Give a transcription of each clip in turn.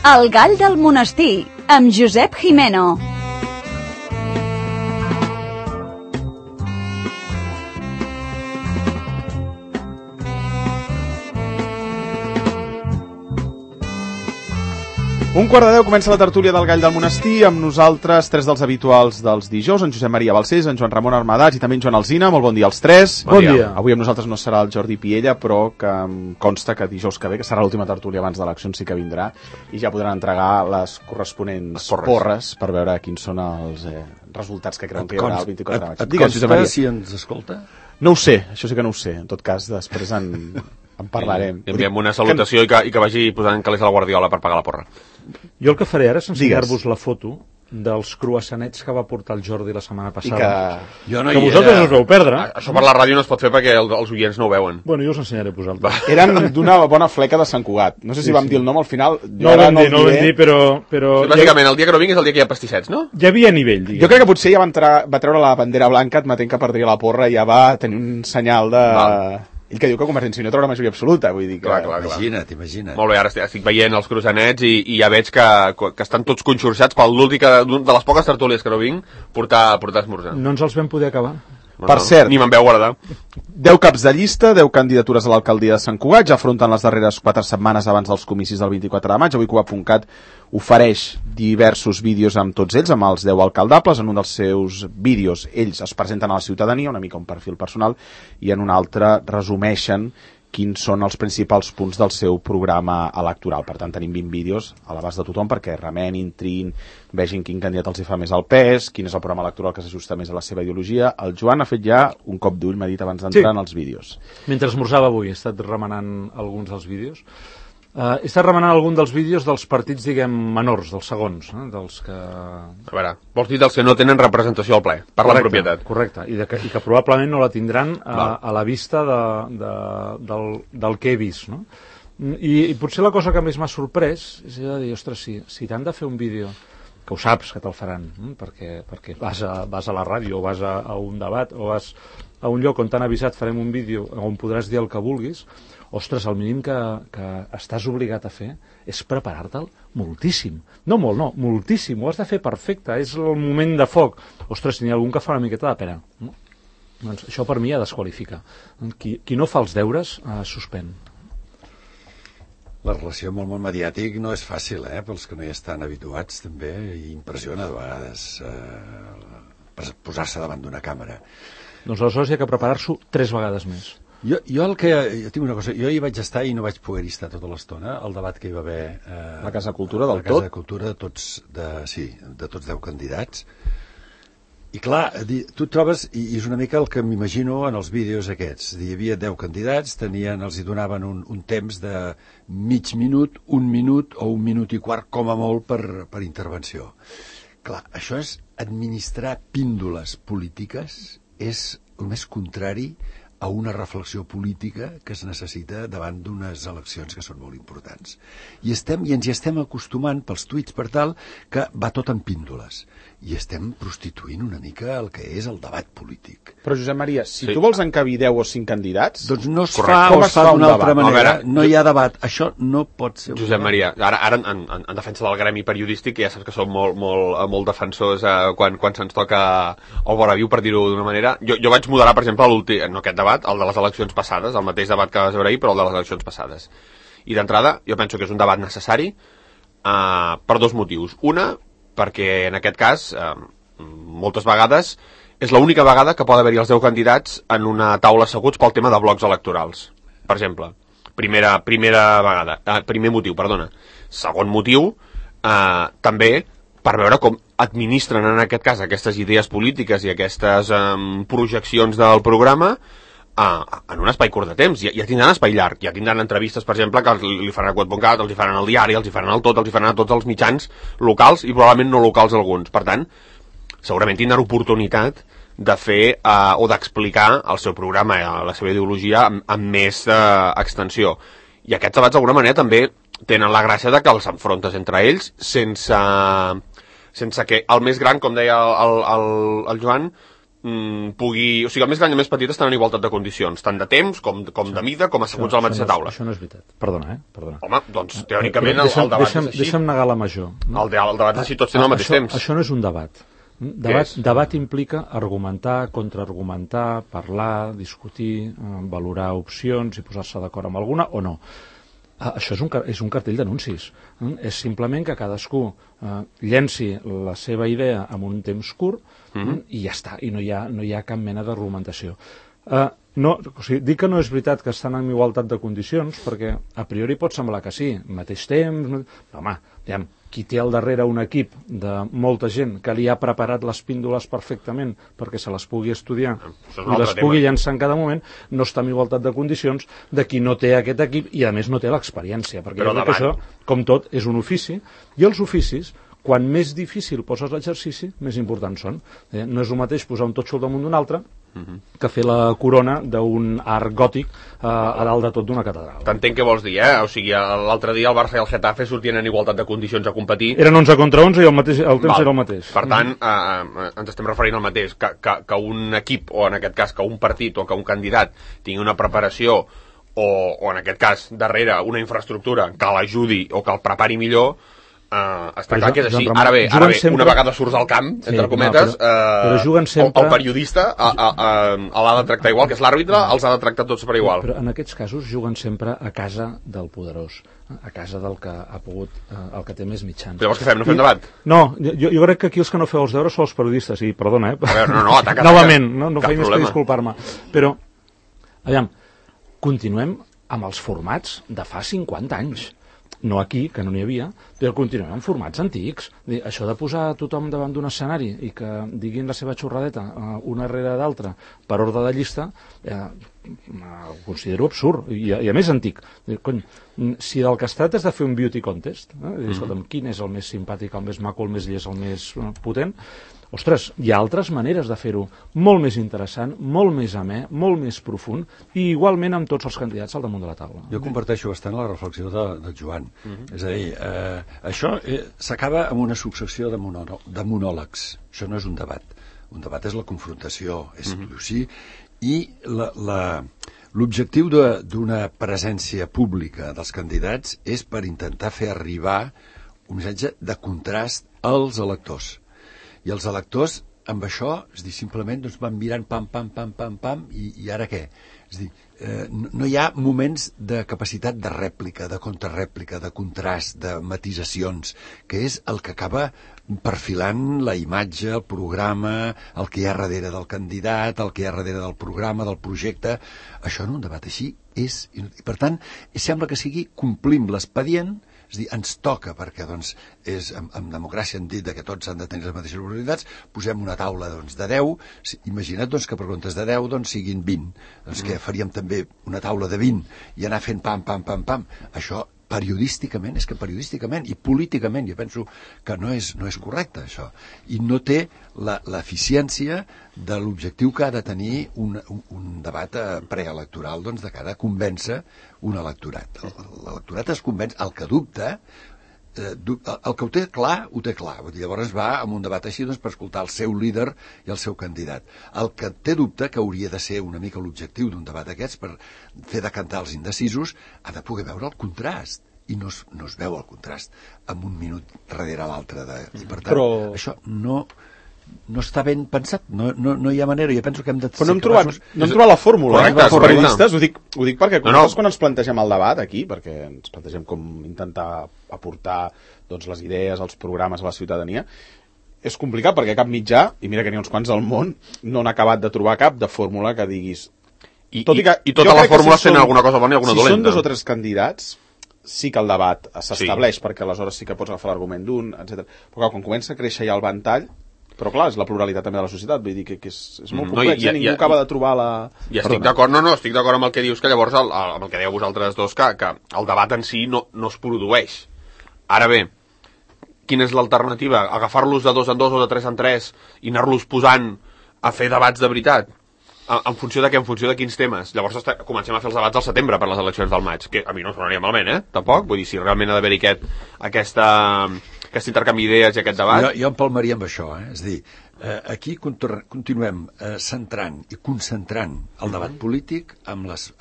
El gall del monestir, amb Josep Jimeno. Un quart de 10 comença la tertúlia del Gall del Monestir, amb nosaltres, tres dels habituals dels dijous, en Josep Maria Balcells, en Joan Ramon Armadats i també en Joan Alsina. Molt bon dia als tres. Bon dia. Avui amb nosaltres no serà el Jordi Piella, però que em consta que dijous que ve, que serà l'última tertúlia abans d'eleccions, sí que vindrà, i ja podran entregar les corresponents porres per veure quins són els resultats que creuen que hi haurà el 24 de maig. Et consta si ens escolta? No ho sé, això sí que no ho sé. En tot cas, després en parlarem. Enviem una salutació i que vagi posant calés a la Guardiola per pagar la porra. Jo el que faré ara és ensenyar-vos la foto dels croissanets que va portar el Jordi la setmana passada. Que vosaltres us vau perdre. Això per la ràdio no es pot fer perquè els oients no ho veuen. Bueno, jo us ensenyaré a vosaltres. Eren d'una bona fleca de Sant Cugat. No sé si vam dir el nom al final. No ho vam dir, però... Sí, bàsicament, el dia que no vinguis és el dia que hi ha pastissets, no? Hi havia nivell, diguem. Jo crec que potser ja va treure la bandera blanca admetent que perdria la porra i ja va tenir un senyal de... Ell que diu que Convergència i Unió troba la majoria absoluta, vull dir que... Clar. Imagina't. Molt bé, ara estic veient els croissanets i ja veig que estan tots conxorxats per l'últim de les poques tertúlies que no vinc portar esmorzar. No ens els vam poder acabar. Per cert, ni me'n veu guardar. 10 caps de llista, 10 candidatures a l'alcaldia de Sant Cugat, ja afronten les darreres 4 setmanes abans dels comicis del 24 de maig. Avui Cugat.cat ofereix diversos vídeos amb tots ells, amb els 10 alcaldables. En un dels seus vídeos ells es presenten a la ciutadania, una mica un perfil personal, i en un altre resumeixen quins són els principals punts del seu programa electoral. Per tant, tenim 20 vídeos a l'abast de tothom perquè remenin, triïn, vegin quin candidat els hi fa més al pes, quin és el programa electoral que s'ajusta més a la seva ideologia. El Joan ha fet ja un cop d'ull, m'ha dit abans d'entrar en els vídeos. Mentre esmorzava avui he estat remenant alguns dels vídeos. He estat remenant algun dels vídeos dels partits, diguem, menors, dels segons, dels que... A veure, vols dir dels que no tenen representació al ple, parla en propietat. Correcte, i que probablement no la tindran a la vista del que he vist, no? I potser la cosa que més m'ha sorprès és de dir, ostres, si t'han de fer un vídeo, que ho saps que te'l faran, perquè vas a la ràdio o vas a un debat o vas a un lloc on t'han avisat farem un vídeo on podràs dir el que vulguis, ostres, el mínim que estàs obligat a fer és preparar-te'l moltíssim. No molt, no, moltíssim. Ho has de fer perfecte. És el moment de foc. Ostres, n'hi ha algun que fa una miqueta de pena. No? Doncs això per mi ha desqualifica. Qui no fa els deures, suspèn. La relació amb el món mediàtic no és fàcil, pels que no hi estan habituats, també, i impressiona de vegades posar-se davant d'una càmera. Doncs aleshores hi ha que preparar-s'ho 3 vegades més. Jo tinc una cosa, jo hi vaig estar i no vaig poder-hi estar tota l'estona, el debat que hi va haver la Casa Cultura del tot. La Casa Cultura de tots 10 candidats. I clar, tu trobes, i és una mica el que m'imagino en els vídeos aquests, hi havia 10 candidats, els hi donaven un temps de mig minut, 1 minut o 1 minut i quart com a molt per intervenció. Clar, això és administrar píndoles polítiques, és el més contrari a una reflexió política que es necessita davant d'unes eleccions que són molt importants. I ens hi estem acostumant pels tuits per tal que va tot en píndoles. I estem prostituint una mica el que és el debat polític. Però, Josep Maria, si tu vols encabir 10 o 5 candidats... Doncs no es fa o es fa d'una altra manera. No hi ha debat. Això no pot ser... Josep Maria, ara en defensa del gremi periodístic, ja saps que som molt defensors quan se'ns toca el vora viu, per dir-ho d'una manera. Jo vaig moderar, per exemple, no aquest debat, el de les eleccions passades, el mateix debat que vas veure ahir, però el de les eleccions passades. I d'entrada, jo penso que és un debat necessari per 2 motius. Una, perquè en aquest cas, moltes vegades, és l'única vegada que pot haver-hi els 10 candidats en una taula asseguts pel tema de blocs electorals. Per exemple, primer motiu, perdona. Segon motiu, també per veure com administren en aquest cas aquestes idees polítiques i aquestes projeccions del programa en un espai curt de temps. Ja tindran espai llarg, ja tindran entrevistes, per exemple, que li faran a Cugat.cat, els hi faran al diari, els hi faran al Tot, els hi faran a tots els mitjans locals i probablement no locals alguns. Per tant, segurament tindran oportunitat de fer o d'explicar el seu programa, la seva ideologia amb més extensió. I aquests debats d'alguna manera també tenen la gràcia de que els enfrontes entre ells sense que el més gran, com deia el Joan, pugui... O sigui, el més gran i el més petit estan en igualtat de condicions, tant de temps com de mida, com asseguts a la mateixa taula. Això no és veritat. Perdona. Home, doncs, teòricament, el debat és així. Deixa'm negar la major. El debat és així, tots tenen al mateix temps. Això no és un debat. Debat implica argumentar, contraargumentar, parlar, discutir, valorar opcions i posar-se d'acord amb alguna o no. Això és un cartell d'anuncis. És simplement que cadascú llenci la seva idea en un temps curt i ja està, i no hi ha cap mena d'argumentació. Dic que no és veritat que estan en igualtat de condicions, perquè a priori pot semblar que sí, mateix temps... Però, home, qui té al darrere un equip de molta gent que li ha preparat les píndoles perfectament perquè se les pugui estudiar i les pugui llançar en cada moment, no està en igualtat de condicions de qui no té aquest equip i a més no té l'experiència, perquè jo crec que això, com tot, és un ofici, i els oficis, quan més difícil poses l'exercici, més importants són. No és el mateix posar un totxo al damunt d'un altre que fer la corona d'un art gòtic a dalt de tot d'una catedral. T'entenc què vols dir, O sigui, l'altre dia el Barça i el Getafe sortien en igualtat de condicions a competir. Eren 11 contra 11 i el temps era el mateix. Per tant, ens estem referint al mateix, que un equip, o en aquest cas que un partit o que un candidat tingui una preparació o en aquest cas, darrere, una infraestructura que l'ajudi o que el prepari millor, està clar que és així. Ara bé, una vegada surts al camp, entre cometes, el periodista l'ha de tractar igual, que és l'àrbitre, els ha de tractar tots per igual. Però en aquests casos juguen sempre a casa del poderós, a casa del que ha pogut, el que té més mitjans. Llavors què fem, no fem debat? No, jo crec que aquí els que no feu els deures són els periodistes, i perdona, A veure, no, ataca. Novament, no faig més que disculpar-me. Però, aviam, continuem amb els formats de fa 50 anys. No aquí, que no n'hi havia, però continuem amb formats antics. Això de posar tothom davant d'un escenari i que diguin la seva xorradeta una rere d'altra per ordre de llista, ho considero absurd i a més antic. Si del que es tracta és de fer un beauty contest, escolta'm, quin és el més simpàtic, el més maco, el més llest, el més potent, ostres, hi ha altres maneres de fer-ho molt més interessant, molt més amè, molt més profund i igualment amb tots els candidats al damunt de la taula. Jo comparteixo bastant la reflexió del Joan. És a dir, això s'acaba amb una successió de monòlegs. Això no és un debat. Un debat és la confrontació, és sí, i l'objectiu d'una presència pública dels candidats és per intentar fer arribar un missatge de contrast als electors. I els electors, amb això, és dir, simplement doncs, van mirant pam, i ara què? És dir, no hi ha moments de capacitat de rèplica, de contrarrèplica, de contrast, de matisacions, que és el que acaba perfilant la imatge, el programa, el que hi ha darrere del candidat, el que hi ha darrere del programa, del projecte. Això en un debat així és... I per tant, sembla que sigui complim l'expedient, és a dir, ens toca, perquè doncs, en democràcia hem dit que tots han de tenir les mateixes oportunitats, posem una taula doncs, de 10, imagina't doncs, que per comptes de 10 doncs, siguin 20, doncs que faríem també una taula de 20 i anar fent pam, això periodísticament i políticament jo penso que no és correcte això, i no té l'eficiència de l'objectiu que ha de tenir un debat preelectoral doncs, de cara a convèncer un electorat. L'electorat es convenç, el que dubta, el que ho té clar, llavors va amb un debat així doncs, per escoltar el seu líder i el seu candidat. El que té dubte, que hauria de ser una mica l'objectiu d'un debat d'aquests per fer decantar els indecisos, ha de poder veure el contrast, i no es veu el contrast en un minut darrere l'altre i per tant això no està ben pensat, no hi ha manera. Jo penso que hem de ser capaços... No hem trobat la fórmula, els periodistes, ho dic perquè quan ens plantegem el debat aquí, perquè ens plantegem com intentar aportar doncs, les idees, els programes a la ciutadania, és complicat perquè cap mitjà, i mira que n'hi ha uns quants al món, no han acabat de trobar cap de fórmula que diguis... I tota la fórmula sent alguna cosa bona i alguna dolenta. Si són 2 o 3 candidats, sí que el debat s'estableix, perquè aleshores sí que pots agafar l'argument d'un, etc. Però quan comença a créixer ja el ventall, però clar, és la pluralitat també de la societat, vull dir que és molt complex, ningú acaba de trobar la... I estic d'acord, estic d'acord amb el que dius, que llavors, amb el que dèieu vosaltres dos, que el debat en si no es produeix. Ara bé, quina és l'alternativa? Agafar-los de 2 en 2 o de 3 en 3 i anar-los posant a fer debats de veritat? En funció de què? En funció de quins temes? Llavors comencem a fer els debats al setembre per les eleccions del maig, que a mi no em sonaria malament, tampoc. Vull dir, si realment ha d'haver-hi aquest intercanvi d'idees i aquest debat... Jo empalmaria amb això, És a dir, Aquí continuem centrant i concentrant el debat polític amb les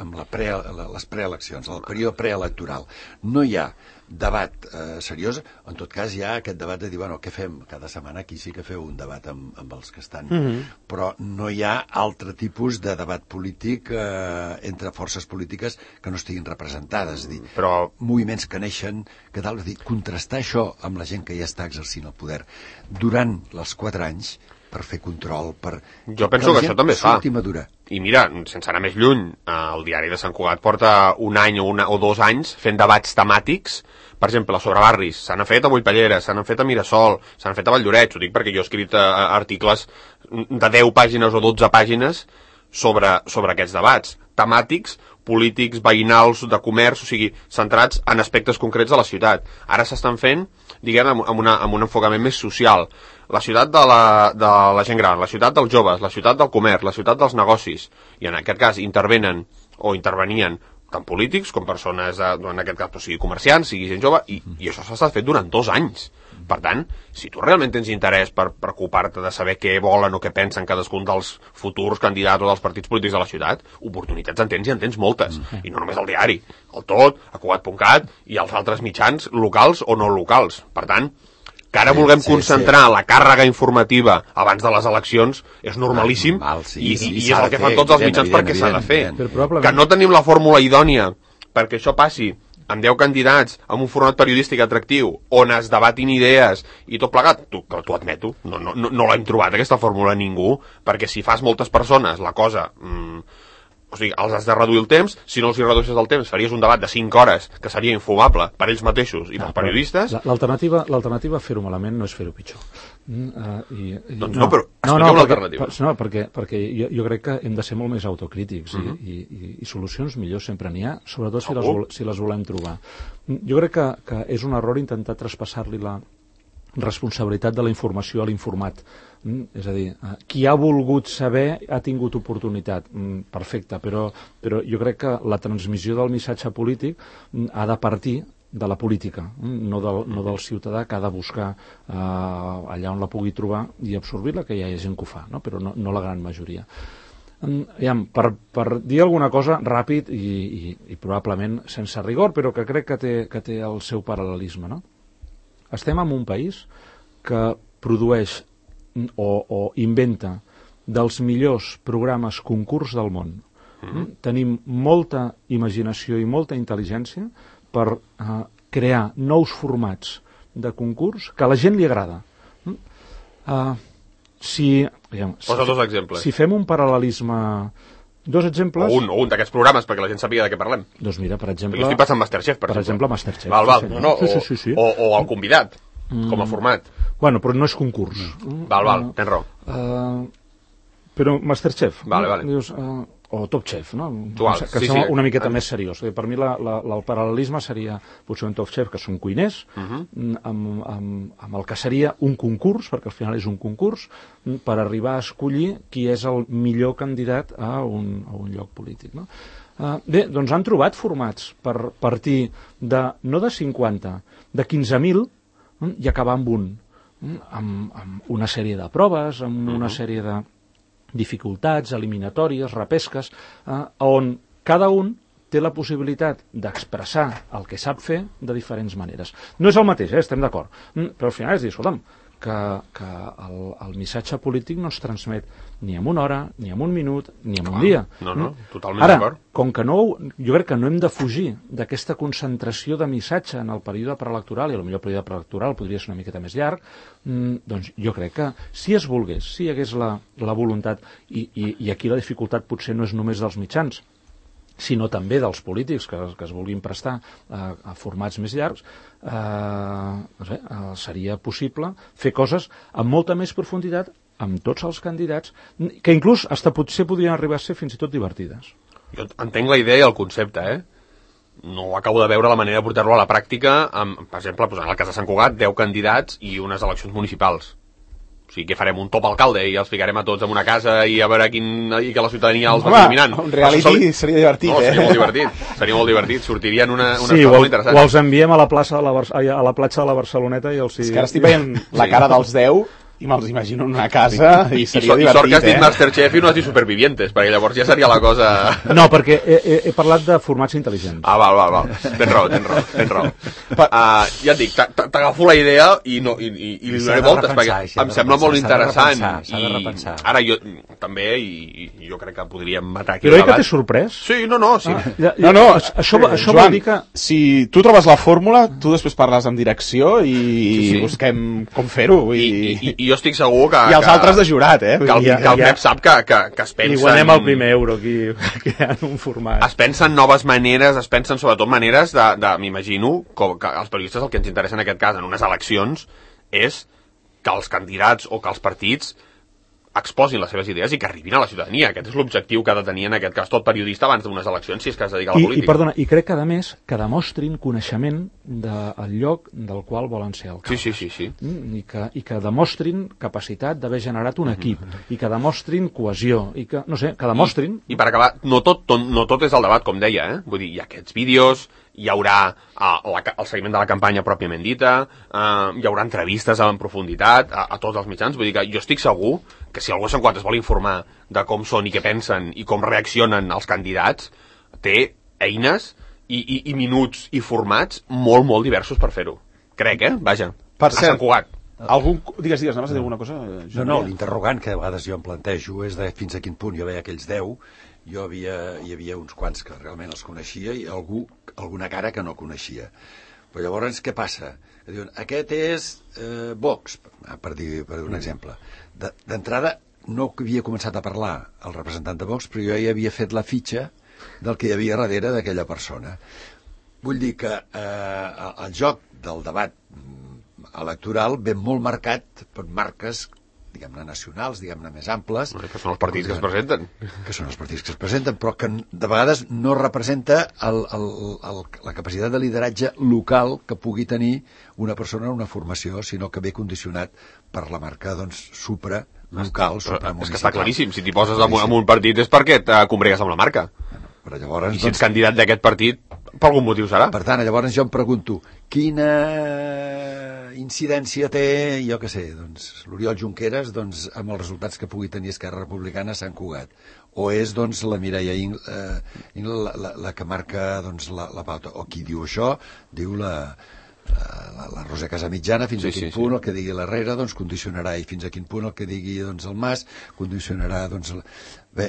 preeleccions, el període preelectoral. No hi ha debat seriós, en tot cas hi ha aquest debat de dir, bueno, què fem? Cada setmana aquí sí que feu un debat amb els que estan, però no hi ha altre tipus de debat polític entre forces polítiques que no estiguin representades, és a dir, però moviments que neixen, que tal, és a dir, contrastar això amb la gent que ja està exercint el poder durant els 4 anys per fer control, per... Jo penso que això també es fa. Madura. I mira, sense anar més lluny, el diari de Sant Cugat porta un any o 2 anys fent debats temàtics, per exemple, sobre barris. S'han fet a Montpellera, s'han fet a Mirasol, s'han fet a Valldoreix. Ho dic perquè jo he escrit articles de 10 pàgines o 12 pàgines sobre aquests debats temàtics, polítics, veïnals, de comerç, o sigui, centrats en aspectes concrets de la ciutat. Ara s'estan fent, diguem, amb un enfocament més social. La ciutat de la gent gran, la ciutat dels joves, la ciutat del comerç, la ciutat dels negocis, i en aquest cas intervenien tant polítics com persones, en aquest cas, sigui comerciants, sigui gent jove, i això s'ha estat fet durant 2 anys. Per tant, si tu realment tens interès per preocupar-te de saber què volen o què pensen cadascun dels futurs candidats o dels partits polítics de la ciutat, oportunitats en tens i en tens moltes. I no només el diari, el Tot, a Cugat.cat i els altres mitjans locals o no locals. Per tant, que ara vulguem concentrar la càrrega informativa abans de les eleccions és normalíssim, i és el que fan tots els mitjans perquè s'ha de fer. Que no tenim la fórmula idònia perquè això passi amb 10 candidats, amb un format periodístic atractiu, on es debatin idees i tot plegat, t'ho admeto, no l'hem trobat aquesta fórmula ningú, perquè si fas moltes persones la cosa... O sigui, els has de reduir el temps, si no els hi redueixes el temps faries un debat de 5 hores que seria infumable per ells mateixos i pels periodistes. L'alternativa a fer-ho malament no és fer-ho pitjor. Doncs no, però expliqueu una alternativa. No, perquè jo crec que hem de ser molt més autocrítics i solucions millors sempre n'hi ha, sobretot si les volem trobar. Jo crec que és un error intentar traspassar-li la responsabilitat de la informació a l'informat. És a dir, qui ha volgut saber ha tingut oportunitat. Perfecte, però jo crec que la transmissió del missatge polític ha de partir de la política, no del ciutadà, que ha de buscar allà on la pugui trobar i absorbir-la, que ja hi ha gent que ho fa, no? Però no la gran majoria. Per dir alguna cosa ràpid i probablement sense rigor, però que crec que té el seu paral·lelisme, no? Estem en un país que produeix o inventa dels millors programes concurs del món. Tenim molta imaginació i molta intel·ligència per crear nous formats de concurs que a la gent li agrada. Posa 2 exemples. Si fem un paral·lelisme... 2 exemples... O un d'aquests programes, perquè la gent sàpiga de què parlem. Doncs mira, per exemple... Jo estic pensant en Masterchef, per exemple. Masterchef. Val. Sí. O el convidat, com a format. Bueno, però no és concurs. Val, tens raó. Però Masterchef. Vale. Dius, o Top Chef, no? Que sí, sembla una miqueta més seriós. Per mi el paral·lelisme seria potser un Top Chef, que són cuiners, amb el que seria un concurs, perquè al final és un concurs, per arribar a escollir qui és el millor candidat a un lloc polític, no? Bé, doncs han trobat formats per partir no de 50, de 15.000 i acabar amb un, amb una sèrie de proves, amb una sèrie de dificultats, eliminatòries, repesques, on cada un té la possibilitat d'expressar el que sap fer de diferents maneres. No és el mateix, estem d'acord, però al final és dir, escolta'm, que el missatge polític no es transmet ni en una hora, ni en un minut, ni en un dia. No, totalment d'acord. Ara, com que jo crec que no hem de fugir d'aquesta concentració de missatge en el període preelectoral, i potser el període preelectoral podria ser una miqueta més llarg, doncs jo crec que si es volgués, si hi hagués la voluntat, i aquí la dificultat potser no és només dels mitjans, sinó també dels polítics que es vulguin prestar a formats més llargs, seria possible fer coses amb molta més profunditat amb tots els candidats, que inclús potser podrien arribar a ser fins i tot divertides. Jo entenc la idea i el concepte, No acabo de veure la manera de portar-lo a la pràctica, per exemple, en el cas de Sant Cugat, 10 candidats i unes eleccions municipals. O sigui, que farem un top alcalde i els ficarem a tots en una casa i a veure i que la ciutadania els va eliminant. Un reality seria divertit, Seria molt divertit. Sortirien unes coses molt interessants. O els enviem a la platja de la Barceloneta i els... És que ara estic veient la cara dels 10 I me'ls imagino en una casa i seria divertit, sort que has dit Masterchef i no has dit Supervivientes, perquè llavors ja seria la cosa... No, perquè he parlat de formats intel·ligents. Val. Tens raó. Ja et dic, t'agafo la idea i li donaré voltes, perquè em sembla molt interessant. S'ha de repensar. Ara jo també, i jo crec que podríem matar aquí Però oi que t'he sorprès? Sí, no. Sí. Això Joan, vol dir que... si tu trobes la fórmula, tu després parles amb direcció i busquem com fer-ho. I jo estic segur que... I els altres de jurat, que el Pep sap que es pensen... I guanyem el primer euro aquí, en un format. Es pensen noves maneres, es pensen sobretot maneres m'imagino, que els periodistes el que ens interessa en aquest cas, en unes eleccions, és que els candidats o que els partits exposin les seves idees i que arribin a la ciutadania. Aquest és l'objectiu que ha de tenir en aquest cas tot periodista abans d'unes eleccions, si és que es dedica a la política. I crec que, a més, que demostrin coneixement del lloc del qual volen ser alcaldes. Sí. I que demostrin capacitat d'haver generat un equip, i que demostrin cohesió, i que, no sé, que demostrin... I per acabar, no tot és el debat, com deia, Vull dir, hi ha aquests vídeos, hi haurà el seguiment de la campanya pròpiament dita, hi haurà entrevistes en profunditat a tots els mitjans. Vull dir que jo estic segur que si algú a Sant Cugat es vol informar de com són i què pensen i com reaccionen els candidats, té eines i minuts i formats molt, molt diversos per fer-ho. Crec, Vaja, per a Sant Cugat. Digues, anaves a dir alguna cosa? No, l'interrogant que a vegades jo em plantejo és de fins a quin punt jo veia aquells 10, hi havia uns quants que realment els coneixia i alguna cara que no coneixia. Però llavors què passa? Diuen, aquest és Vox, per dir un exemple. D'entrada no havia començat a parlar el representant de Vox, però jo ja havia fet la fitxa del que hi havia darrere d'aquella persona. Vull dir que el joc del debat electoral ve molt marcat per marques, diguem-ne, nacionals, diguem-ne, més amples. Que són els partits que es presenten. Que són els partits que es presenten, però que de vegades no representa la capacitat de lideratge local que pugui tenir una persona en una formació, sinó que ve condicionat per la marca, doncs, supralocal, supramunicipal. És que està claríssim, si t'hi poses en un partit és perquè et combregues amb la marca. Però llavors, I si ets candidat d'aquest partit, per algun motiu serà. Per tant, llavors jo em pregunto, quina incidència té, jo què sé, doncs, l'Oriol Junqueras, doncs, amb els resultats que pugui tenir Esquerra Republicana a Sant Cugat? O és, doncs, la Mireia la que marca, doncs, la pauta? O qui diu això, diu la Roser Casamitjana, fins a quin punt el que digui l'Herrera doncs condicionarà, i fins a quin punt el que digui doncs el Mas condicionarà, doncs... Bé,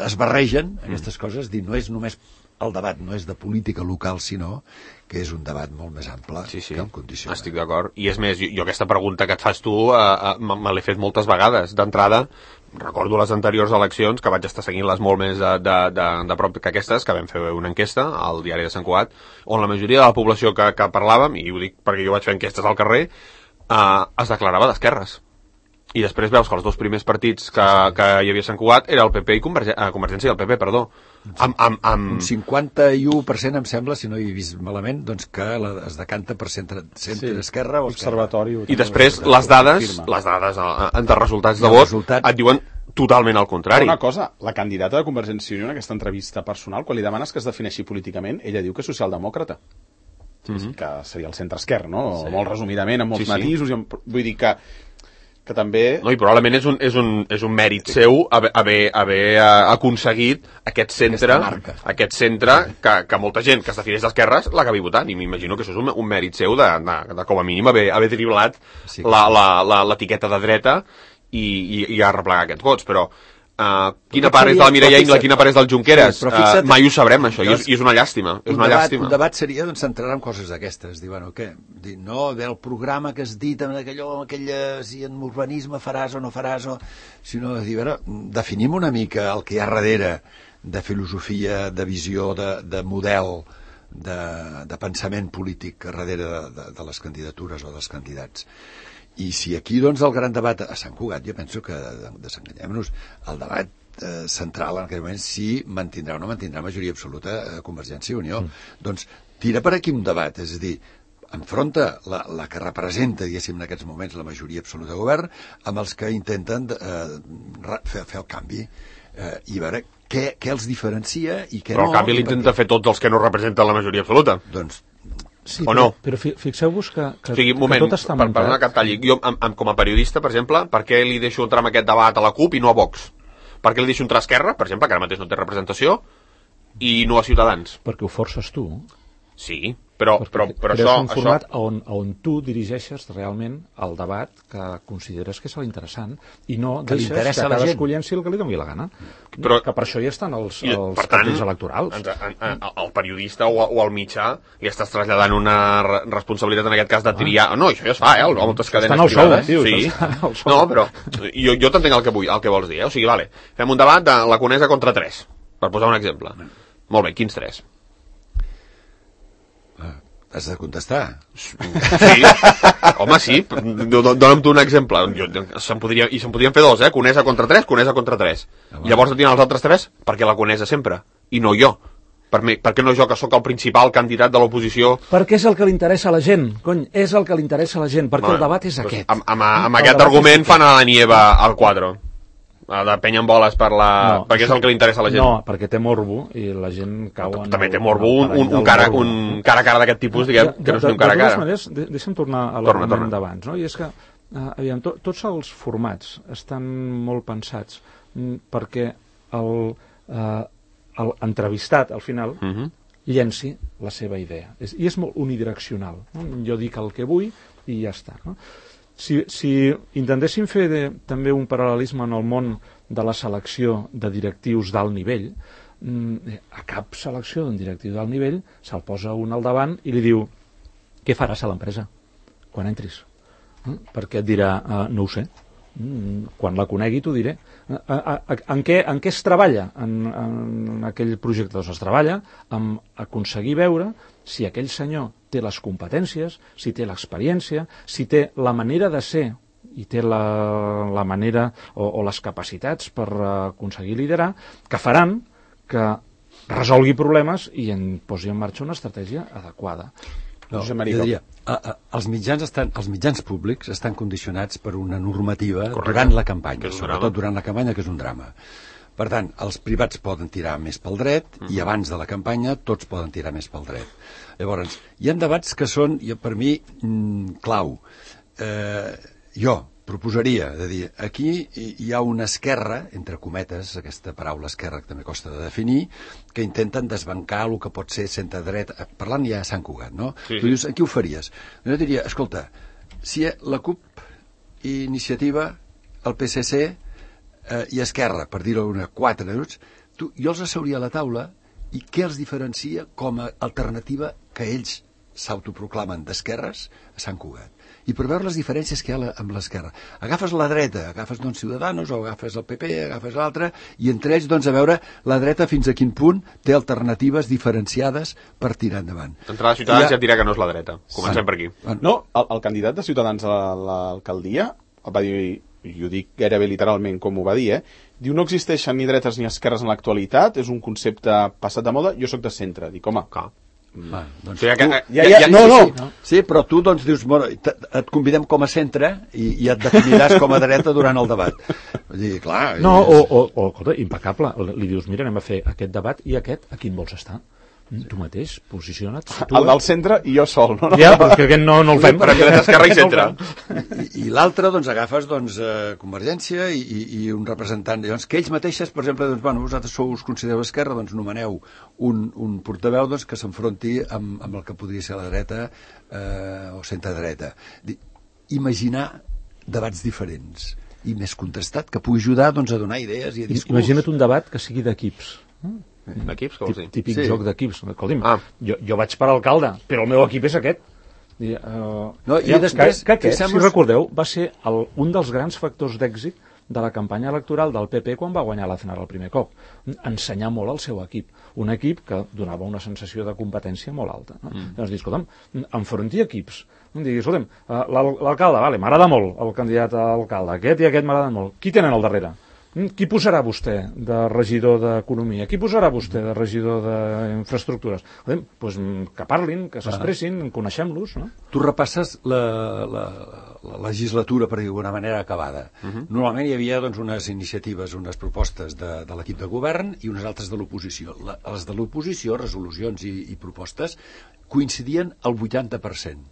es barregen aquestes coses, dir, no és només el debat, no és de política local, sinó que és un debat molt més ample que el condiciona. Estic d'acord. I és més, jo aquesta pregunta que et fas tu me l'he fet moltes vegades. D'entrada, recordo les anteriors eleccions, que vaig estar seguint-les molt més de prop que aquestes, que vam fer una enquesta al diari de Sant Cugat, on la majoria de la població que parlàvem, i ho dic perquè jo vaig fer enquestes al carrer, es declarava d'esquerres. I després veus que els dos primers partits que hi havia a Sant Cugat era el PP i Convergència i el PP, perdó. Un 51% em sembla, si no hi he vist malament, doncs que es decanta per centre esquerra o observatori. I després les dades de resultats de vot et diuen totalment al contrari. Una cosa, la candidata de Convergència i Unió en aquesta entrevista personal, quan li demanes que es defineixi políticament, ella diu que és socialdemòcrata. Que seria el centre-esquerra, no? Molt resumidament, amb molts matisos. Vull dir que també... No, i probablement és un mèrit seu haver aconseguit aquest centre que molta gent que es defineix d'esquerres l'acabi votant, i m'imagino que això és un mèrit seu de com a mínim haver driblat l'etiqueta de dreta i arreplegar aquests vots, però quina part és de la Mireia Ingla, quina part és del Junqueras, mai ho sabrem això, i és una llàstima. Un debat seria doncs, centrar en coses d'aquestes, dir, bueno, què? Dir, no, del programa que has dit si en urbanisme faràs o no faràs, sinó de dir, definim una mica el que hi ha darrere de filosofia, de visió, de model, de pensament polític darrere de les candidatures o dels candidats. I si aquí, doncs, el gran debat a Sant Cugat, jo penso que, desenganyem-nos, el debat central en aquell moment si mantindrà o no mantindrà majoria absoluta a Convergència i Unió. Doncs tira per aquí un debat, és a dir, enfronta la que representa, diguéssim, en aquests moments la majoria absoluta de govern amb els que intenten fer el canvi i veure què els diferencia i què no. Però el canvi l'intenta fer tots els que no representen la majoria absoluta. Doncs Sí, o no? Però fixeu-vos que O sigui, un moment, tot està muntat. perdona que et talli. Jo, com a periodista, per exemple, per què li deixo entrar en aquest debat a la CUP i no a Vox? Per què li deixo entrar a Esquerra, per exemple, que ara mateix no té representació, i no a Ciutadans? Perquè ho forces tu. Sí, però és un format on tu dirigeixes realment el debat que consideres que és l'interessant i no que deixes que cadascú llenci el que li doni la gana. Però, que per això hi estan els per tant, cartells electorals. al periodista o al mitjà li estàs traslladant una responsabilitat en aquest cas de triar... No, això ja es fa, a moltes cadenes privades. Sí. No, però jo t'entenc el que vols dir. O sigui, vale, fem un debat de la Conesa contra 3, per posar un exemple. Molt bé, quins 3? Has de contestar. Sí, home, sí, dona'm tu un exemple. Se'n podrien fer 2, Conesa contra 3, Conesa contra 3. Llavors et diran els altres 3 perquè la Conesa sempre, i no jo. Per què no jo, que sóc el principal candidat de l'oposició? Perquè és el que li interessa a la gent, cony, és el que li interessa a la gent, perquè el debat és aquest. Amb aquest argument fan a la Nieva al quadre. De penya en boles perquè és el que li interessa a la gent. No, perquè té morbo i la gent cau en... També té morbo un cara a cara d'aquest tipus, diguem, que no és un cara a cara. De totes maneres, deixa'm tornar a l'argument d'abans, no? I és que, aviam, tots els formats estan molt pensats perquè l'entrevistat, al final, llenci la seva idea. I és molt unidireccional. Jo dic el que vull i ja està, no? Si intentéssim fer també un paral·lelisme en el món de la selecció de directius d'alt nivell, a cap selecció d'un directiu d'alt nivell se'l posa un al davant i li diu què faràs a l'empresa quan entris? Perquè et dirà no ho sé, quan la conegui t'ho diré. En què es treballa en aquell projecte? Doncs es treballa amb aconseguir veure si aquell senyor té les competències, si té l'experiència, si té la manera de ser i té la manera o les capacitats per aconseguir liderar, que faran que resolgui problemes i posi en marxa una estratègia adequada. No, jo diria, els mitjans públics estan condicionats per una normativa durant la campanya, sobretot durant la campanya, que és un drama. Per tant, els privats poden tirar més pel dret i abans de la campanya tots poden tirar més pel dret. Llavors, hi ha debats que són, per mi, clau. Jo proposaria de dir, aquí hi ha una esquerra, entre cometes, aquesta paraula esquerra que també costa de definir, que intenten desbancar el que pot ser centre-dreta. Parlant ja a Sant Cugat, no? Sí. Tu dius, aquí ho faries? Jo diria, escolta, si la CUP, Iniciativa, el PSC i Esquerra, per dir-ho 4 minuts, jo els asseuria a la taula i què els diferencia com a alternativa que ells s'autoproclamen d'esquerres a Sant Cugat. I per veure les diferències que hi ha amb l'esquerra. Agafes la dreta, agafes Ciudadanos o agafes el PP, agafes l'altre, i entre ells a veure la dreta fins a quin punt té alternatives diferenciades per tirar endavant. D'entrada Ciutadans ja et dirà que no és la dreta. Comencem per aquí. No, el candidat de Ciutadans a l'alcaldia va dir, i ho dic gairebé literalment com ho va dir, diu no existeixen ni dretes ni esquerres en l'actualitat, és un concepte passat de moda, jo sóc de centre. Dic, home, doncs sí, però tu dius, et convidem com a centre i et definiràs com a dreta durant el debat. Vull dir, clar... No, escolta, impecable, li dius, mira, anem a fer aquest debat i aquest, a quin vols estar? Tu mateix, posiciona't. El del centre i jo sol, no? Ja, perquè aquest no el fem. Per dreta, esquerra i centre. I l'altre, agafes Convergència i un representant. Llavors, que ells mateixes, per exemple, vosaltres us considereu esquerra, nomeneu un portaveu que s'enfronti amb el que podria ser la dreta o centre-dreta. Imaginar debats diferents i més contrastat, que pugui ajudar a donar idees i a discurs. Imagina't un debat que sigui d'equips. D'equips, què vols dir? Típic joc d'equips. Escolti'm, jo vaig per alcalde, però el meu equip és aquest. I després, si recordeu, va ser un dels grans factors d'èxit de la campanya electoral del PP quan va guanyar l'Aznar el primer cop. Ensenyar molt al seu equip. Un equip que donava una sensació de competència molt alta. Llavors, escolta'm, enfronti equips. Digui, escolta'm, l'alcalde, m'agrada molt el candidat a alcalde, aquest i aquest m'agraden molt. Qui tenen al darrere? Qui posarà vostè de regidor d'Economia? Qui posarà vostè de regidor d'Infraestructures? Doncs que parlin, que s'expressin, coneixem-los, no? Tu repasses la legislatura, per dir d'alguna manera, acabada. Normalment hi havia doncs, unes iniciatives, unes propostes de l'equip de govern i unes altres de l'oposició. Les de l'oposició, resolucions i propostes, coincidien al 80%.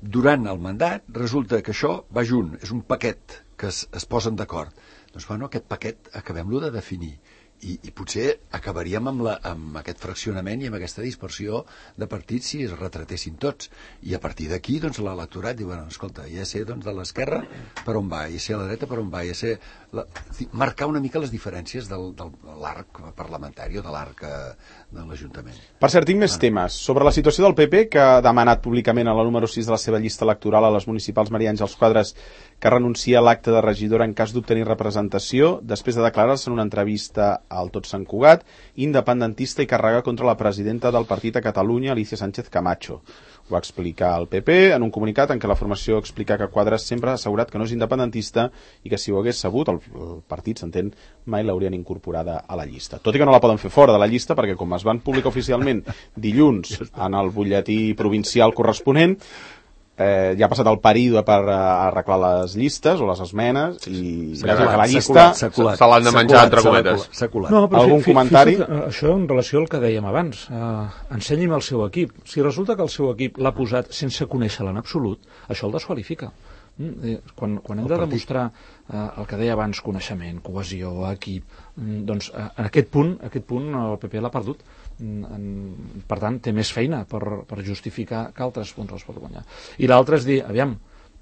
Durant el mandat resulta que això va junt, és un paquet que es posen d'acord. Doncs bueno, aquest paquet acabem-lo de definir i potser acabaríem amb aquest fraccionament i amb aquesta dispersió de partits si es retratessin tots. I a partir d'aquí, doncs, l'electorat diu, bueno, escolta, ja sé doncs, de l'esquerra per on va, ja sé a la dreta per on va, ja sé... Marcar una mica les diferències de l'arc parlamentari o de l'arc de l'Ajuntament. Per cert, tinc més temes. Sobre la situació del PP, que ha demanat públicament a la número 6 de la seva llista electoral a les municipals Maria Àngels Quadras que renuncia a l'acte de regidora en cas d'obtenir representació, després de declarar-se en una entrevista al Tot Sant Cugat, independentista i carregar contra la presidenta del partit a Catalunya, Alicia Sánchez Camacho. Ho va explicar el PP en un comunicat en què la formació explica que Quadras sempre ha assegurat que no és independentista i que si ho hagués sabut, el partit, s'entén, mai l'haurien incorporada a la llista. Tot i que no la poden fer fora de la llista perquè, com es van publicar oficialment dilluns en el butlletí provincial corresponent, ja ha passat el període per arreglar les llistes o les esmenes i la llista se l'han de menjar entre cometes. No, però algun comentari? Això en relació al que dèiem abans, ensenyi'm el seu equip. Si resulta que el seu equip l'ha posat sense conèixer-la en absolut, això el desqualifica. Quan hem de demostrar el que deia abans, coneixement, cohesió, equip, doncs en aquest punt el PP l'ha perdut. Per tant, té més feina per justificar que altres punts els pot guanyar. I l'altre és dir, aviam,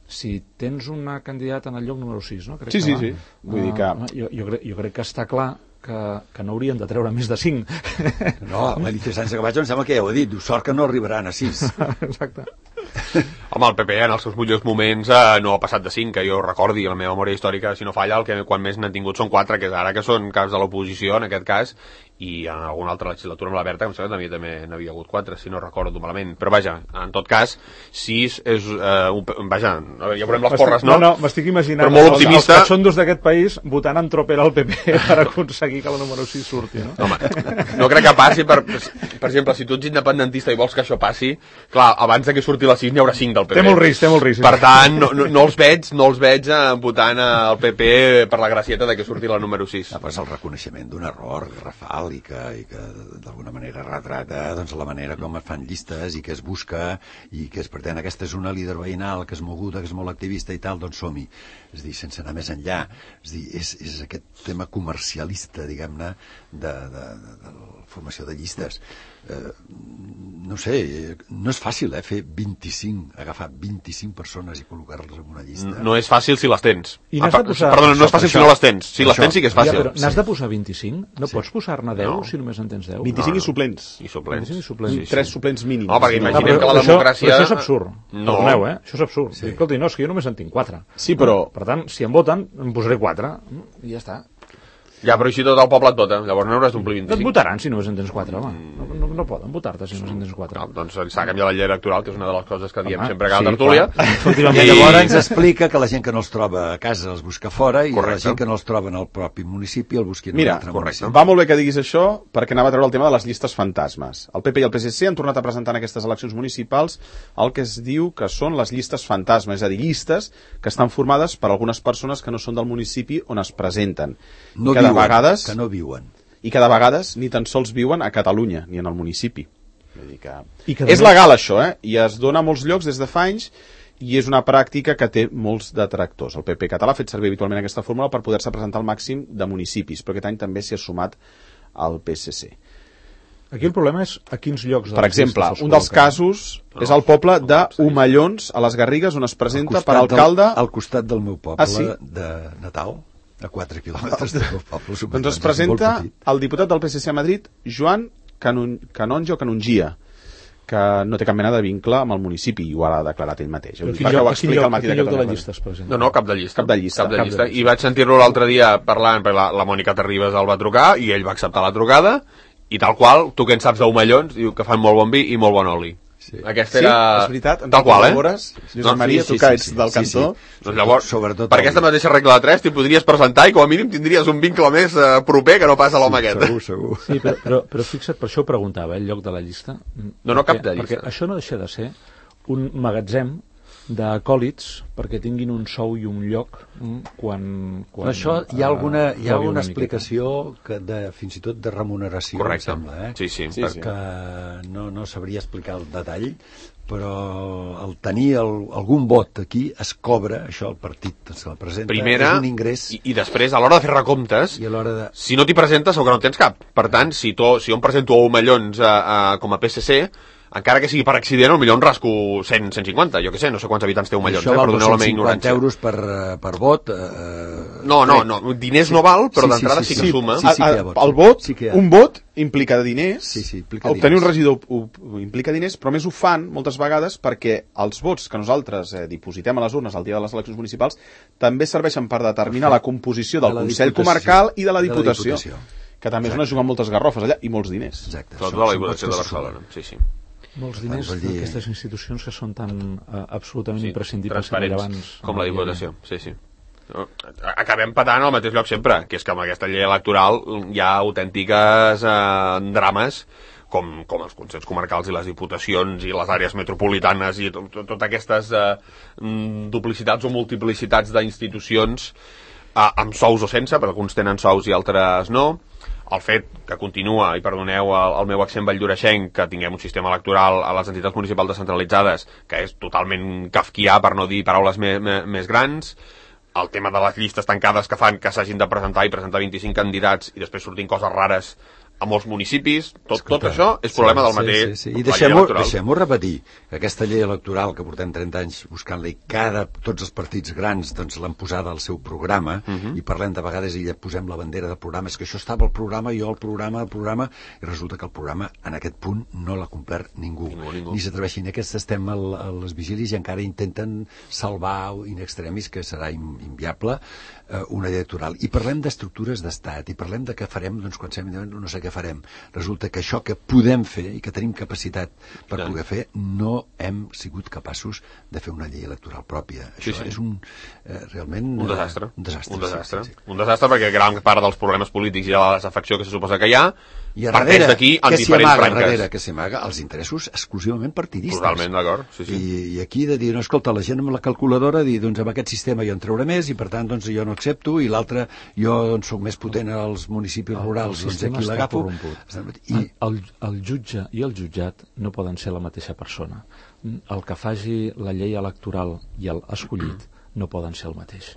si tens una candidata en el lloc número 6, no? Sí. Vull dir que... Jo crec que està clar que no haurien de treure més de 5. No, l'Alicia Sánchez Camacho em sembla que ja ho ha dit, diu, sort que no arribaran a 6. Exacte. Home, el PP en els seus millors moments no ha passat de 5, que jo recordi, la meva memòria històrica, si no falla, quan més n'han tingut són 4, que ara que són caps de l'oposició, en aquest cas, i en alguna altra legislatura amb la Berta, que em sembla que també n'havia hagut 4, si no recordo malament. Però vaja, en tot cas, 6 és... vaja, ja veurem les porres, no? No, m'estic imaginant però molt optimista. Els cachondos d'aquest país votant en tropel al PP per aconseguir que la número 6 surti, no? Home, no crec que passi, per exemple, si tu ets independentista i vols que això passi, clar, abans que surti la 6 n'hi haurà 5 del PP. Té molt risc. Per tant, no els veig votant al PP per la gracieta de que surti la número 6. Però és el reconeixement d'un error garrafal i que d'alguna manera retrata doncs, la manera com es fan llistes i que es busca i que es pretén aquesta és una líder veïnal que és moguda, que és molt activista i tal, doncs som-hi. És dir, sense anar més enllà. És dir, és aquest tema comercialista, diguem-ne, de la formació de llistes. No sé, no és fàcil, fer 25, agafar 25 persones i col·locar-les en una llista. No és fàcil si les tens. Perdona, no és fàcil si no les tens. Si les tens sí que és fàcil. Ja, però n'has de posar 25? No pots posar-ne 10 si només en tens 10? 25 i suplents. I suplents. 3 suplents mínims. No, perquè imaginem que la democràcia... Però això és absurd. No. Perdoneu, això és absurd. Escolti, no, és que jo només en tinc 4. Sí, però... Per tant, si em voten, em posaré 4 i ja està. Ja, però així tot el poble et vota, llavors no hauràs d'omplir 25. Et votaran si només en tens 4, home. No poden votar-te si només en tens 4. No, doncs s'ha canviat la llei electoral, que és una de les coses que diem sempre a cada tertúlia. I llavors ens explica que la gent que no els troba a casa els busca fora i la gent que no els troba en el propi municipi el busqui en un altre municipi. Va molt bé que diguis això perquè anava a treure el tema de les llistes fantasmes. El PP i el PSC han tornat a presentar en aquestes eleccions municipals el que es diu que són les llistes fantasmes, és a dir, llistes que estan formades per algunes persones que no són del municipi on es presenten. No cada viuen, vegades que no viuen. I cada vegades ni tan sols viuen a Catalunya ni en el municipi. Vull dir que... És legal això, i es dona a molts llocs des de fa anys i és una pràctica que té molts detractors. El PP català ha fet servir habitualment aquesta fórmula per poder-se presentar al màxim de municipis, però aquest any també s'hi ha sumat al PSC. Aquí el problema és a quins llocs... Per exemple, un dels casos és el poble d'Omellons, a les Garrigues, on es presenta per alcalde... Al costat del meu poble de Natal, a 4 quilòmetres del meu poble. Doncs es presenta el diputat del PSC a Madrid, Joan Canongia, que no té cap mena de vincle amb el municipi i ho ha declarat ell mateix. Quin lloc de la llista es presenta? No, cap de llista. I vaig sentir-lo l'altre dia parlant, perquè la Mònica Terribas el va trucar i ell va acceptar la trucada i tal qual, tu que en saps d'Omellons, diu que fan molt bon vi i molt bon oli. Aquesta era... és veritat, tal qual, Josep Maria, tu que ets del cantó. Doncs llavors, sobretot per aquesta mateixa regla de 3 t'hi podries presentar i com a mínim tindries un vincle més proper que no pas a l'home aquest. Segur. Sí, però fixa't, per això ho preguntava, el lloc de la llista. No, cap de llista. Perquè això no deixa de ser un magatzem d'acòlits perquè tinguin un sou i un lloc quan això hi ha alguna una explicació fins i tot de remuneració. Correcte. Em sembla, Sí. Que no sabria explicar el detall, però el tenir algun vot aquí es cobra, això el partit se la presenta, primera, és un ingrés. I després, a l'hora de fer recomptes, I a l'hora de... si no t'hi presentes, segur que no en tens cap. Per tant, si jo em presento a Omellons com a PSC, encara que sigui per accident, potser en rasco 100, 150, jo què sé, no sé quants habitants té Omellons, això val perdoneu la meva 250 ignorància. euros per vot. No, diners no val, però d'entrada sí que suma. Sí que hi ha vots. El vot, Sí que hi ha. un vot implica diners, implica obtenir diners. un regidor implica diners, però més ho fan moltes vegades perquè els vots que nosaltres dipositem a les urnes el dia de les eleccions municipals també serveixen per determinar la composició del Consell Comarcal i de la Diputació, que també és on es juguen moltes garrofes allà i molts diners. Exacte. Sobretot a la Diputació de Barcelona, sí. Molts diners d'aquestes institucions que són tan absolutament imprescindibles transparents com la Diputació, sí. Acabem patant al mateix lloc sempre, que és que amb aquesta llei electoral hi ha autèntiques drames com els consells comarcals i les diputacions i les àrees metropolitanes i totes aquestes duplicitats o multiplicitats d'institucions amb sous o sense, perquè alguns tenen sous i altres no. El fet que continua, i perdoneu el meu accent valldoreixenc, que tinguem un sistema electoral a les entitats municipals descentralitzades que és totalment kafkià, per no dir paraules més grans, el tema de les llistes tancades que fan que s'hagin de presentar 25 candidats i després sortin coses rares a molts municipis, tot això és problema del mateix. I deixem-ho repetir, que aquesta llei electoral que portem 30 anys buscant-la i tots els partits grans doncs, l'han posada al seu programa i parlem de vegades i ja posem la bandera del programa, és que això estava al programa, el programa, i resulta que el programa en aquest punt no l'ha complert ningú. Ni s'atreveixin. Aquests estem a les vigílies i encara intenten salvar in extremis, que serà inviable, una llei electoral. I parlem d'estructures d'estat, i parlem de què farem, doncs quan no sé què farem. Resulta que això que podem fer i que tenim capacitat per poder fer, no hem sigut capaços de fer una llei electoral pròpia. Això és realment... Un desastre. Sí. Un desastre perquè gran part dels problemes polítics i de la desafecció que se suposa que hi ha parteix d'aquí en què diferents branques. Que s'hi amaga els interessos exclusivament partidistes. Totalment d'acord, sí. I aquí de dir, no, escolta, la gent amb la calculadora dir, doncs amb aquest sistema jo en trauré més i per tant doncs jo no accepto, i l'altre jo doncs soc més potent als municipis rurals, doncs aquí l'agafo. I el jutge i el jutjat no poden ser la mateixa persona. El que faci la llei electoral i el escollit no poden ser el mateix.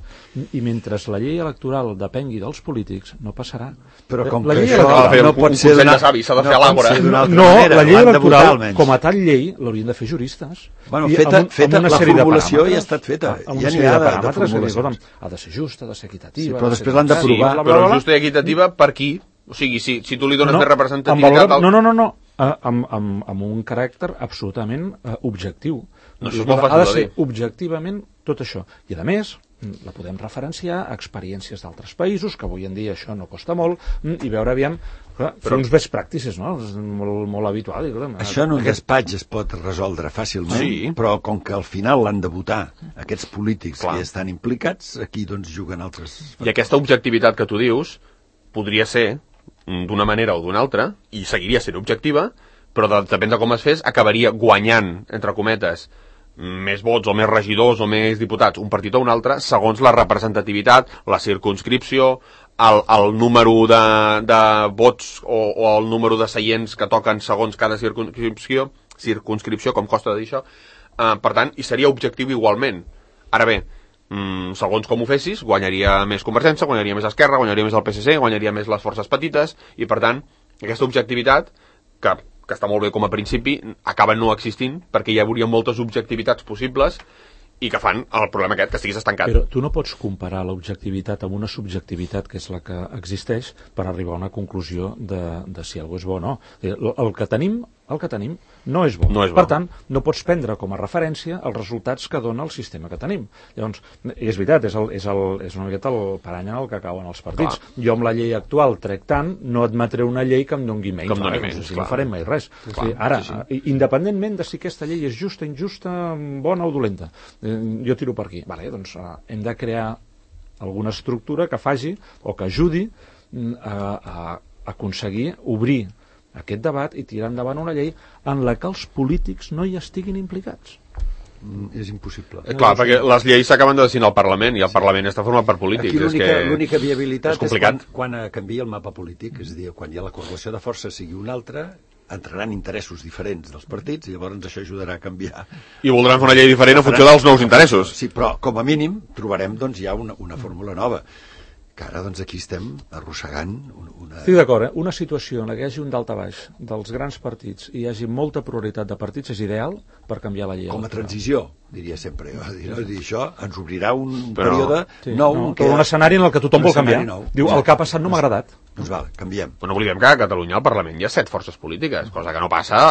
I mentre la llei electoral depengui dels polítics, no passarà. Però com la que llei això no pot ser d'una savi, s'ha de fer a l'àgora. No, la llei electoral, com a tal llei, l'haurien de fer juristes. Bueno, feta la formulació ja ha estat feta. Ja n'hi ha de formulacions. Ha de ser justa, ha de ser equitativa. Però després l'han d'aprovar. Però justa i equitativa per qui? O sigui, si tu li dones més representativitat... No. Amb un caràcter absolutament objectiu. Ha de ser objectivament tot això. I a més, la podem referenciar a experiències d'altres països, que avui en dia això no costa molt, i veure aviam, fer uns best practices, no? És molt habitual. Això en un despatx es pot resoldre fàcilment, però com que al final l'han de votar aquests polítics que estan implicats, aquí doncs juguen altres... I aquesta objectivitat que tu dius podria ser d'una manera o d'una altra, i seguiria sent objectiva, però depèn de com es fes, acabaria guanyant, entre cometes, més vots o més regidors o més diputats, un partit o un altre, segons la representativitat, la circumscripció, el número de vots o el número de seients que toquen segons cada circumscripció, com costa de dir això. Per tant, hi seria objectiu igualment. Ara bé, segons com ho fessis, guanyaria més Convergència, guanyaria més Esquerra, guanyaria més el PSC, guanyaria més les forces petites, i per tant, aquesta objectivitat, que està molt bé com a principi, acaba no existint, perquè hi hauria moltes objectivitats possibles i que fan el problema aquest, que estiguis estancat. Però tu no pots comparar l'objectivitat amb una subjectivitat, que és la que existeix, per arribar a una conclusió de si algú és bo o no. El que tenim el que tenim no és bo. No és bo. Per tant, no pots prendre com a referència els resultats que dona el sistema que tenim. Llavors, és veritat, és una miqueta el parany en el que cauen els partits. Clar. Jo amb la llei actual trec tant, no admetré una llei que em doni menys. No farem mai res. Ara, independentment de si aquesta llei és justa, injusta, bona o dolenta, jo tiro per aquí. Vale, doncs hem de crear alguna estructura que faci o que ajudi a aconseguir obrir aquest debat i tirar endavant una llei en la que els polítics no hi estiguin implicats. És impossible. Clar, perquè les lleis s'acaben de decidir al Parlament i el Parlament està format per polítics. Aquí l'única viabilitat és quan canvia el mapa polític, és a dir, quan hi ha la correlació de forces sigui una altra, entraran interessos diferents dels partits i llavors això ajudarà a canviar. I voldran fer una llei diferent en funció dels nous interessos. Sí, però com a mínim trobarem doncs ja una fórmula nova. Que ara doncs aquí estem arrossegant una... Estic d'acord, una situació en la que hi hagi un daltabaix dels grans partits i hi hagi molta pluralitat de partits és ideal per canviar la llei. Com a transició, diria sempre. Això ens obrirà un període nou. Un escenari en el que tothom vol canviar. Diu, el que ha passat no m'ha agradat. Doncs val, canviem. No oblidem que a Catalunya al Parlament hi ha 7 forces polítiques, cosa que no passa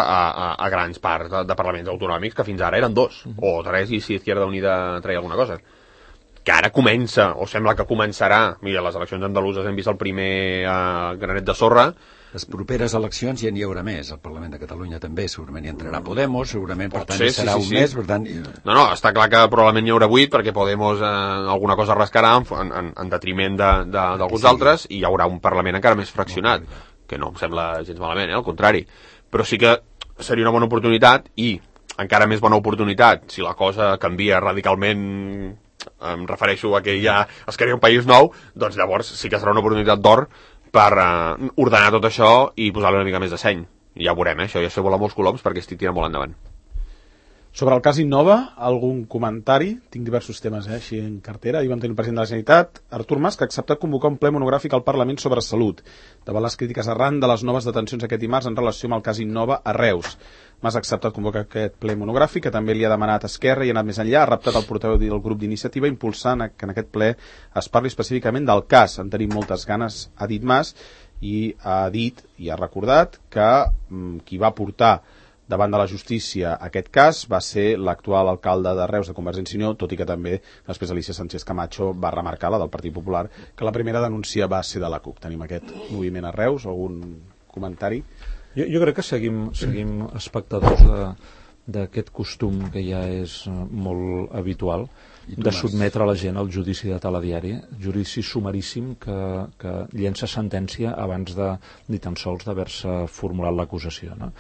a grans parts de parlaments autonòmics, que fins ara eren 2, o 3, i si Izquierda Unida treia alguna cosa. Que ara comença, o sembla que començarà, mira, les eleccions andaluses hem vist el primer granet de sorra. Les properes eleccions ja n'hi haurà més, al Parlament de Catalunya també, segurament hi entrarà Podemos, segurament, per tant, hi serà un mes, per tant... No, està clar que probablement hi haurà 8, perquè Podemos alguna cosa rascarà en detriment d'alguns altres, i hi haurà un Parlament encara més fraccionat, que no em sembla gens malament, al contrari. Però sí que seria una bona oportunitat, i encara més bona oportunitat, si la cosa canvia radicalment, em refereixo a que ja es crea un país nou, doncs llavors sí que serà una oportunitat d'or per ordenar tot això i posar-li una mica més de seny. I ja ho veurem, això ja sé volar molts coloms perquè estic tirant molt endavant. Sobre el cas Innova, algun comentari? Tinc diversos temes així en cartera. Ahir vam tenir el president de la Generalitat, Artur Mas, que ha acceptat convocar un ple monogràfic al Parlament sobre salut, davant les crítiques arran de les noves detencions aquest dimarts en relació amb el cas Innova a Reus. Mas ha acceptat convocar aquest ple monogràfic, que també li ha demanat Esquerra i ha anat més enllà, ha reptat el portaveu del grup d'iniciativa, impulsant que en aquest ple es parli específicament del cas. En tenim moltes ganes, ha dit Mas, i ha dit i ha recordat que qui va portar davant de la justícia aquest cas va ser l'actual alcalde de Reus de Convergència i Unió, tot i que també després Alicia Sánchez Camacho va remarcar, la del Partit Popular, que la primera denúncia va ser de la CUP. Tenim aquest moviment a Reus, algun comentari? Jo crec que seguim espectadors d'aquest costum que ja és molt habitual de sotmetre la gent al judici de telediari, judici sumaríssim que llença sentència abans de ni tan sols d'haver-se formulat l'acusació, no?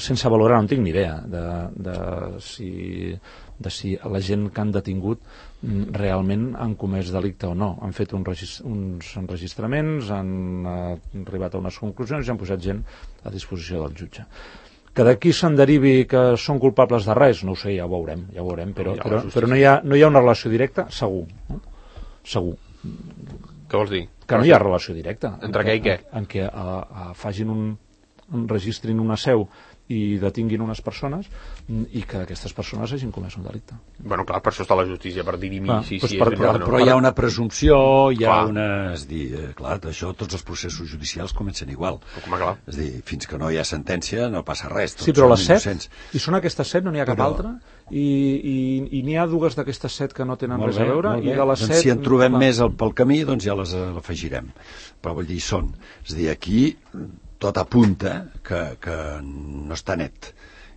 Sense valorar, no en tinc ni idea de si la gent que han detingut realment han comès delicte o no. Han fet uns enregistraments, han arribat a unes conclusions i han posat gent a disposició del jutge. Que d'aquí se'n derivi que són culpables de res, no ho sé, ja ho veurem, però no hi ha una relació directa, segur. Segur. Què vols dir? Que no hi ha relació directa. Entre què i què? En què registrin una seu i detinguin unes persones i que aquestes persones hagin comès un delicte. Bueno, clar, per això està la justícia, per dirimir si és veritat o no. Però hi ha una presumpció, hi ha una... És dir, clar, això, tots els processos judicials comencen igual. És dir, fins que no hi ha sentència no passa res. Sí, però les 7, i són aquestes 7, no n'hi ha cap altra, i n'hi ha dues d'aquestes 7 que no tenen res a veure, i de les 7... Si en trobem més pel camí, doncs ja les afegirem. Però vull dir, són. És dir, aquí tot apunta que no està net.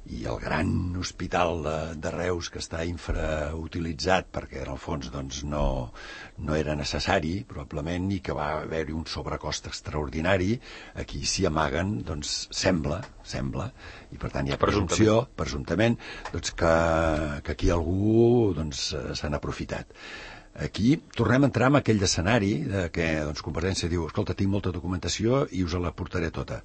I el gran hospital de Reus, que està infrautilitzat perquè en el fons doncs, no era necessari, probablement, i que va haver-hi un sobrecost extraordinari, aquí s'hi amaguen, doncs sembla, i per tant hi ha presumpció, presumptament, doncs, que aquí algú doncs, se n'ha aprofitat. Aquí tornem a entrar en aquell escenari que doncs, Convergència diu, escolta, tinc molta documentació i us la portaré tota.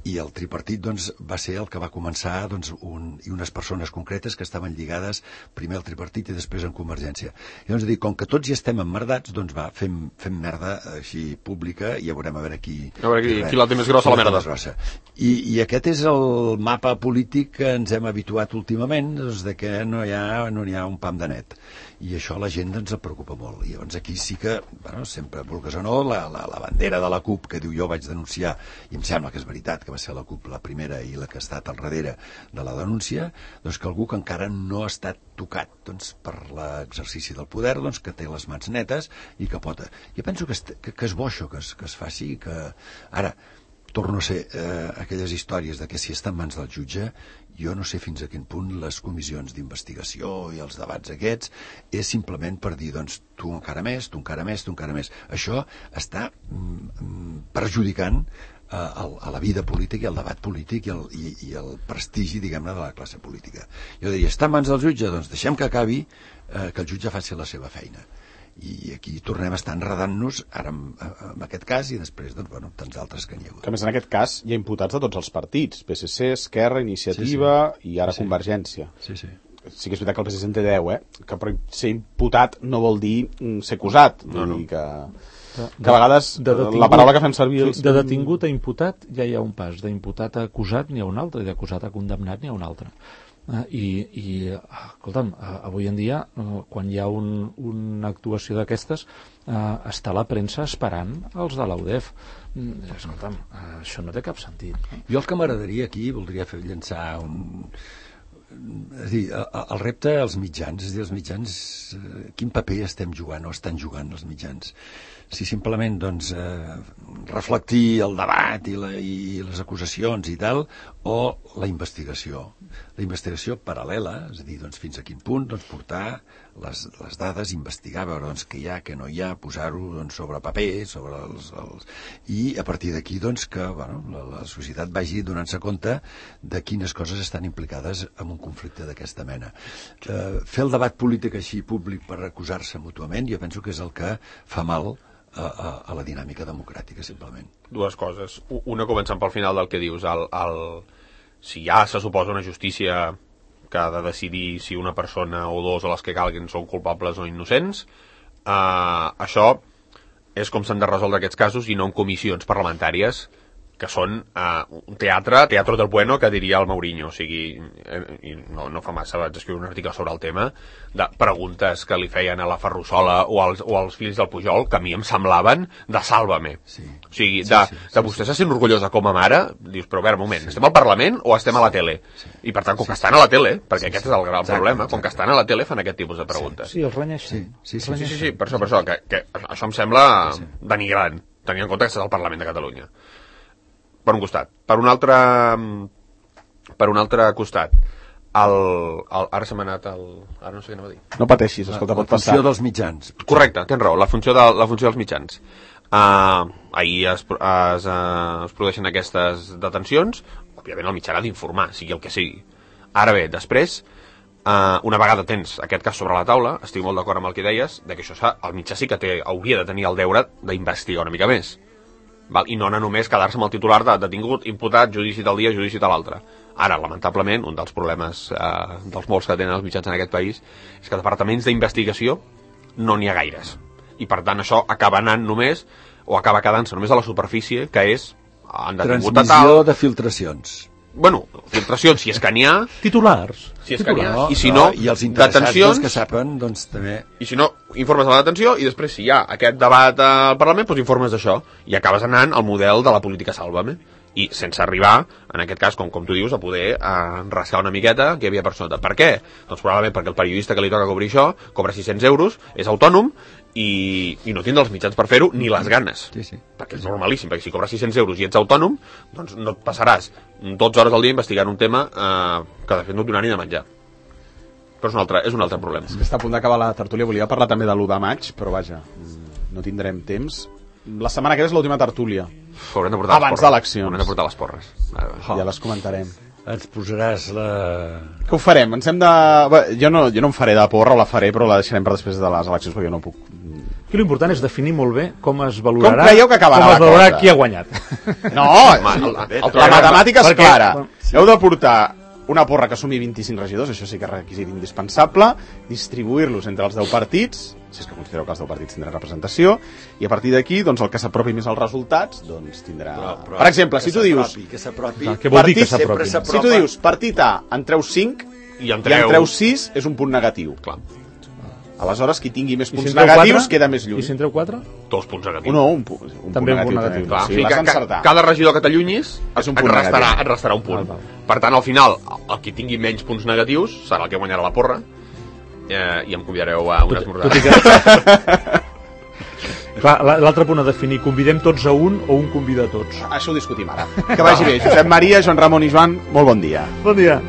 I el tripartit doncs, va ser el que va començar doncs, i unes persones concretes que estaven lligades primer al tripartit i després en Convergència. I llavors dic, com que tots ja estem emmerdats, doncs va, fem merda així pública i ja veurem a veure qui la té més grossa la merda. I aquest és el mapa polític que ens hem habituat últimament, doncs, de que no hi ha un pam de net. I això a la gent ens preocupa molt. I llavors aquí sí que, bueno, sempre vulgues o no, la bandera de la CUP que diu jo vaig denunciar, i em sembla que és veritat que va ser la CUP la primera i la que ha estat al darrere de la denúncia, doncs que algú que encara no ha estat tocat per l'exercici del poder, que té les mans netes i que pot... Jo penso que és bo això, que es faci, que ara torno a ser aquelles històries de que si està en mans del jutge, jo no sé fins a quin punt les comissions d'investigació i els debats aquests és simplement per dir, doncs, tu encara més, tu encara més, tu encara més. Això està perjudicant a la vida política i al debat polític i el prestigi, diguem-ne, de la classe política. Jo diria, està en mans del jutge? Doncs deixem que acabi, que el jutge faci la seva feina. I aquí tornem a estar enredant-nos ara en aquest cas i després tants d'altres que n'hi ha hagut. Que més en aquest cas hi ha imputats de tots els partits, PSC, Esquerra, Iniciativa i ara Convergència. Sí que és veritat que el PSC en té 10, que per ser imputat no vol dir ser acusat. Vull dir que a vegades la paraula que fem servir... De detingut a imputat ja hi ha un pas, d'imputat a acusat n'hi ha un altre, i d'acusat a condemnat n'hi ha un altre. Escolta'm, avui en dia quan hi ha una actuació d'aquestes està la premsa esperant els de l'UDEF. Escolta'm, això no té cap sentit. Jo el que m'agradaria aquí, voldria llançar és a dir, el repte als mitjans, és a dir, els mitjans, quin paper estem jugant o estan jugant els mitjans? Si simplement reflectir el debat i les acusacions i tal, o la investigació paral·lela, és a dir, fins a quin punt portar les dades, investigar, veure què hi ha, què no hi ha, posar-ho sobre paper, sobre i a partir d'aquí que la societat vagi donant-se compte de quines coses estan implicades en un conflicte d'aquesta mena. Fer el debat polític així públic per acusar-se mútuament, jo penso que és el que fa mal a la dinàmica democràtica, simplement. Dues coses. Una, començant pel final del que dius, si ja se suposa una justícia que ha de decidir si una persona o dos o les que calguin són culpables o innocents, això és com s'han de resoldre aquests casos i no en comissions parlamentàries que són un teatre del bueno, que diria el Mourinho. O sigui, no fa massa vaig escriure un article sobre el tema de preguntes que li feien a la Ferrusola o als fills del Pujol, que a mi em semblaven de Sálvame. O sigui, de vostè se sent orgullosa com a mare, dius, però a veure, un moment, estem al Parlament o estem a la tele? I per tant, com que estan a la tele, perquè aquest és el gran problema, com que estan a la tele fan aquest tipus de preguntes. Sí, els renyeixen. Sí, per això, que això em sembla denigrant, tenint en compte que estàs al Parlament de Catalunya. Per un costat. Per un altre costat, ara se m'ha anat ara no sé què anava a dir. No pateixis, escolta, pot passar. La funció dels mitjans. Correcte, tens raó, la funció dels mitjans. Ahir es produeixen aquestes detencions, òbviament el mitjà ha d'informar, sigui el que sigui. Ara bé, després, una vegada tens aquest cas sobre la taula, estic molt d'acord amb el que deies, de que això el mitjà sí que hauria de tenir el deure d'investigar una mica més. I no anar només quedar-se amb el titular de detingut, imputat, judici tal dia, judici tal altre. Ara, lamentablement, un dels problemes dels molts que tenen els mitjans en aquest país és que departaments d'investigació no n'hi ha gaires. I per tant això acaba anant només, o acaba quedant-se només a la superfície, que és han detingut a tal... Transmissió de filtracions. Bueno, filtracions, si és que n'hi ha... Titulars. Si és que n'hi ha, i si no, i els interessats detencions... que saben, també... I si no, informes de la detenció, i després, si hi ha aquest debat al Parlament, doncs informes d'això. I acabes anant al model de la política Sálvame. I sense arribar, en aquest cas, com tu dius, a poder rascar una miqueta que hi havia per sota. Per què? Doncs probablement perquè el periodista que li toca cobrir això cobra 600 euros, és autònom, i no tindrà els mitjans per fer-ho ni les ganes. Sí. Perquè és normalíssim, perquè si cobres 600 euros i ets autònom, doncs no et passaràs 12 hores al dia investigant un tema que de fet no et donarà ni de menjar. Però és un altre problema. Està a punt d'acabar la tertúlia, volia parlar també de l'1 de maig, però vaja, no tindrem temps. La setmana que ve és l'última tertúlia. Haurem de portar abans d'eleccions. Haurem de portar les porres. Ja les comentarem. Ens posaràs la... Què ho farem? Ens hem de... Jo no em faré de porra, o la faré, però la deixarem per després de les eleccions, perquè jo no puc... Aquí l'important és definir molt bé com es valorarà... Com creieu que acabarà la cosa? Qui ha guanyat. No, la matemàtica és clara. Heu de portar una porra que sumi 25 regidors, això sí que és requisit indispensable, distribuir-los entre els 10 partits, si és que considereu que els 10 partits tindran representació, i a partir d'aquí, doncs, el que s'apropi més als resultats, doncs tindrà... Però per exemple, si tu dius... Que s'apropi... Què vol dir que s'apropi? Si tu dius, partit A, en treus 5, i en treus 6, és un punt negatiu. Clar. Aleshores, qui tingui més I punts si en treu negatius 4? queda més lluny. I si en treu 4? 2 punts negatius. No, un punt També un negatiu. punt negatiu. Clar, Sí, o sigui, l'has d'encertar. cada regidor que t'allunyis És un punt negatiu. et restarà un punt. Val. Per tant, al final, el qui tingui menys punts negatius serà el que guanyarà la porra i em convidareu a un esmorzar. Tot i que... Clar, l'altre punt a definir, convidem tots a un o un convida a tots? Això ho discutim ara. Que vagi bé. Josep Maria, Joan Ramon i Joan, molt bon dia. Bon dia.